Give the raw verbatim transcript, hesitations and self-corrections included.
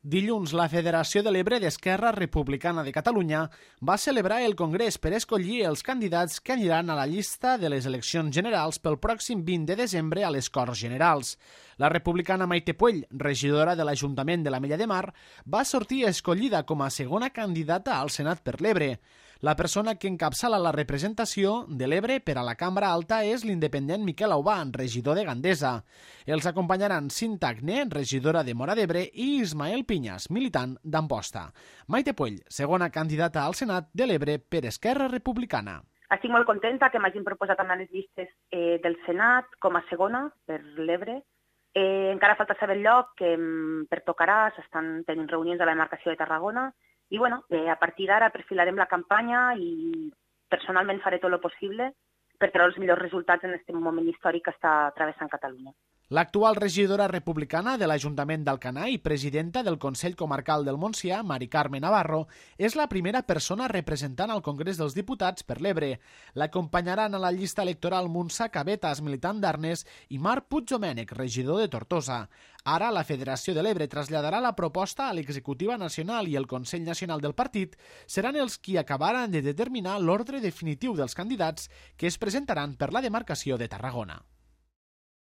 Dilluns, la Federació de l'Ebre d'Esquerra Republicana de Catalunya va celebrar el congrés per escollir els candidats que aniran a la llista de les eleccions generals pel pròxim vint de desembre a les Corts Generals. La republicana Maite Puell, regidora de l'Ajuntament de l'Ametlla de Mar, va sortir escollida com a segona candidata al Senat per l'Ebre. La persona que encapçala la representació de l'Ebre per a la Cambra Alta és l'independent Miquel Aubà, regidor de Gandesa. Els acompanyaran Cinta Agné, regidora de Móra d'Ebre, i Ismael Pinyas, militant d'Amposta. Maite Puell, segona candidata al Senat de l'Ebre per Esquerra Republicana. Estic molt contenta que m'hagin proposat anar a les llistes eh, del Senat com a segona per l'Ebre. Eh, encara falta saber el lloc, que per tocarà, s'estan tenint reunions a la demarcació de Tarragona, i bueno, eh, a partir d'ara perfilarem la campanya i personalment faré tot el possible per treure els millors resultats en aquest moment històric que està travessant Catalunya. L'actual regidora republicana de l'Ajuntament d'Alcanar i presidenta del Consell Comarcal del Montsià, Mari Carme Navarro, és la primera persona representant al Congrés dels Diputats per l'Ebre. L'acompanyaran a la llista electoral Muntsa Cabetas, militant d'Arnes, i Marc Puigdomènech, regidor de Tortosa. Ara, la Federació de l'Ebre traslladarà la proposta a l'Executiva Nacional i el Consell Nacional del Partit seran els qui acabaran de determinar l'ordre definitiu dels candidats que es presentaran per la demarcació de Tarragona.